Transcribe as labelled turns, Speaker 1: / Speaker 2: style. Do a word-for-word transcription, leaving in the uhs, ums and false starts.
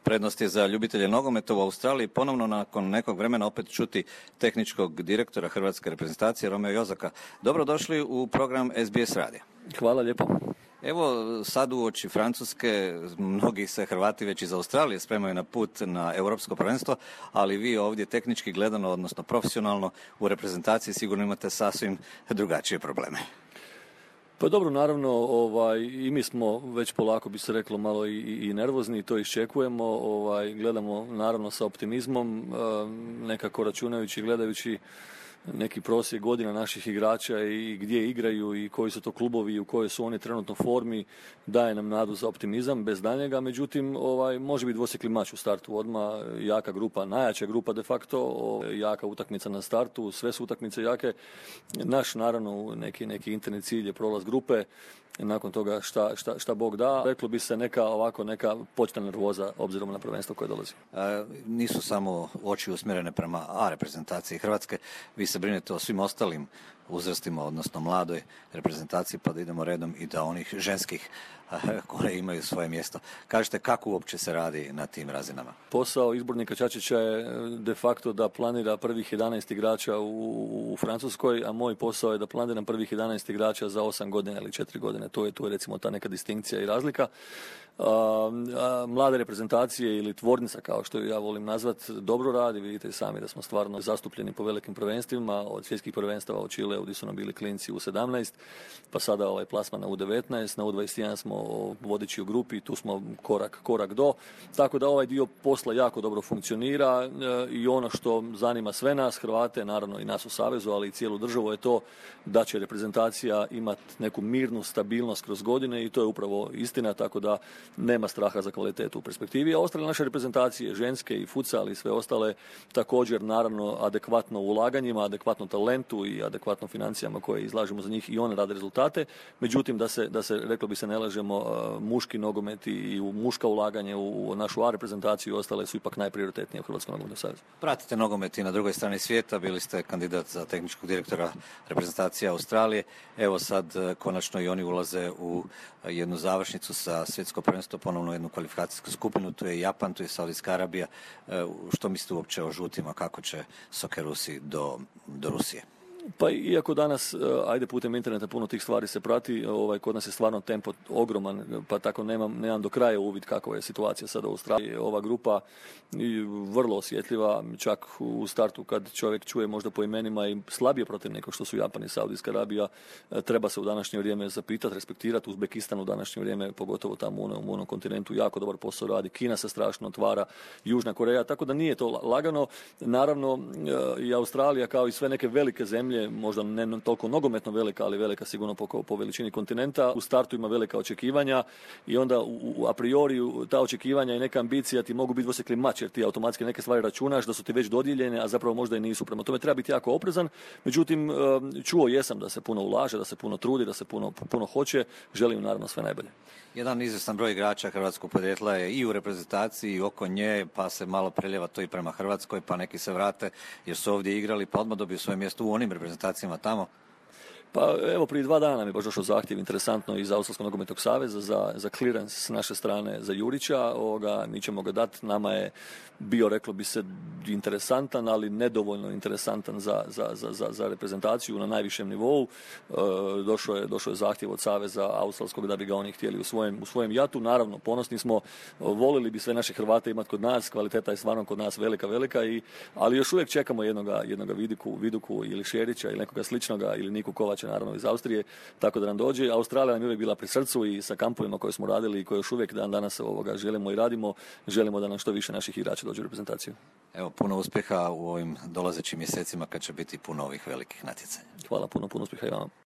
Speaker 1: Prednost je za ljubitelje nogometa u Australiji ponovno nakon nekog vremena opet čuti tehničkog direktora hrvatske reprezentacije Romea Jozaka. Dobrodošli u program S B S radija.
Speaker 2: Hvala lijepo.
Speaker 1: Evo sad uoči Francuske, mnogi se Hrvati već iz Australije spremaju na put na europsko prvenstvo, ali vi ovdje tehnički gledano, odnosno profesionalno u reprezentaciji sigurno imate sasvim drugačije probleme.
Speaker 2: Pa dobro, naravno, ovaj, i mi smo već polako, bi se reklo, malo i, i nervozni, to iščekujemo, ovaj, gledamo naravno sa optimizmom, nekako računajući, gledajući neki prosjek godina naših igrača i gdje igraju i koji su to klubovi i u kojoj su oni trenutno formi, daje nam nadu za optimizam bez daljnjega. Međutim, ovaj, može biti dvosjekli mač u startu odmah, jaka grupa, najjača grupa de facto, jaka utakmica na startu, sve su utakmice jake. Naš, naravno, neki, neki interni cilj je prolaz grupe, nakon toga šta, šta, šta Bog da. Reklo bi se neka ovako neka početna nervoza obzirom na prvenstvo koje dolazi.
Speaker 1: E, nisu samo oči usmjerene prema A reprezentaciji Hrvatske, vi se brinete o svim ostalim uzrastima, odnosno mladoj reprezentaciji, pa da idemo redom i da onih ženskih koje imaju svoje mjesto. Kažete kako uopće se radi na tim razinama?
Speaker 2: Posao izbornika Čačića je de facto da planira prvih jedanaest igrača u, u Francuskoj, a moj posao je da planiram prvih jedanaest igrača za osam godina ili četiri godine. To je, to je recimo ta neka distinkcija i razlika. A, a, mlade reprezentacije ili tvornica, kao što ju ja volim nazvat, dobro radi. Vidite i sami da smo stvarno zastupljeni po velikim prvenstvima, od svjetskih prvenstava u Čileu gdje su nam bili klinci u sedamnaest, pa sada ovaj plasman na U devetnaest, na U dvadeset jedan smo vodeći u grupi, tu smo korak, korak do. Tako da ovaj dio posla jako dobro funkcionira e, i ono što zanima sve nas, Hrvate, naravno i nas u Savezu, ali i cijelu državu, je to da će reprezentacija imati neku mirnu stabilnost kroz godine i to je upravo istina, tako da nema straha za kvalitetu u perspektivi. A ostale naše reprezentacije, ženske i futsal i sve ostale, također naravno adekvatno ulaganjima, adekvatno talentu i adekvatno financijama koje izlažemo za njih i one rade rezultate. Međutim, da se, da se reklo bi se, ne lažemo, muški nogomet i u muška ulaganje u našu A reprezentaciju i ostale su ipak najprioritetnije u Hrvatskom nogometnom savezu.
Speaker 1: Pratite nogomet i na drugoj strani svijeta, bili ste kandidat za tehničkog direktora reprezentacije Australije. Evo sad konačno i oni ulaze u jednu završnicu sa svjetsko prvenstvo, ponovno jednu kvalifikacijsku skupinu, tu je Japan, tu je Saudijska Arabija. Što mislite uopće o žutima, kako će Sokerusi do, do Rusije?
Speaker 2: Pa iako danas, ajde putem interneta puno tih stvari se prati, ovaj, kod nas je stvarno tempo ogroman, pa tako nemam, nemam do kraja uvid kakva je situacija sada u Australiji. Ova grupa je vrlo osjetljiva, čak u startu kad čovjek čuje možda po imenima i slabije protiv neko što su Japan i Saudijska Arabija, treba se u današnje vrijeme zapitati, respektirati. Uzbekistan u današnje vrijeme, pogotovo tamo u onom kontinentu, jako dobar posao radi. Kina se strašno otvara, Južna Koreja, tako da nije to lagano. Naravno i Australija, kao i sve neke velike zemlje, možda ne toliko nogometno velika, ali velika sigurno po, po veličini kontinenta. U startu ima velika očekivanja i onda u, u, a priori ta očekivanja i neka ambicija ti mogu biti dvosjekli mač, jer ti automatski neke stvari računaš da su ti već dodijeljene, a zapravo možda i nisu. Prema tome treba biti jako oprezan. Međutim, čuo jesam da se puno ulaže, da se puno trudi, da se puno, puno hoće. Želim naravno sve najbolje.
Speaker 1: Jedan izvjestan broj igrača hrvatskog podrijetla je i u reprezentaciji i oko nje, pa se malo preljeva to i prema Hrvatskoj, pa neki se vrate jer su ovdje igrali, pa odmah dobiju svoje mjesto u onim reprezentacijama tamo.
Speaker 2: Pa evo, prije dva dana mi je baš došao zahtjev, interesantno, iz Australskog nogometnog saveza za, za clearance s naše strane za Jurića. Ovoga, mi ćemo ga dati. Nama je bio, reklo bi se, interesantan, ali nedovoljno interesantan za, za, za, za reprezentaciju na najvišem nivou. E, došao je, došao je zahtjev od saveza australskog da bi ga oni htjeli u svojem, u svojem jatu. Naravno, ponosni smo, volili bi sve naše Hrvate imati kod nas, kvaliteta je stvarno kod nas velika, velika, i, ali još uvijek čekamo jednoga, jednoga Viduku, Viduku ili Šerića ili nekoga sličnoga, ili Niku Kovača, naravno iz Austrije, tako da nam dođe. Australija nam je uvijek bila pri srcu i sa kampovima koje smo radili i koje još uvijek dan danas ovoga želimo i radimo, želimo da nam što više naših igrača dođe u reprezentaciju.
Speaker 1: Evo, puno uspjeha u ovim dolazećim mjesecima kad će biti puno ovih velikih natjecanja.
Speaker 2: Hvala, puno, puno uspjeha i vama.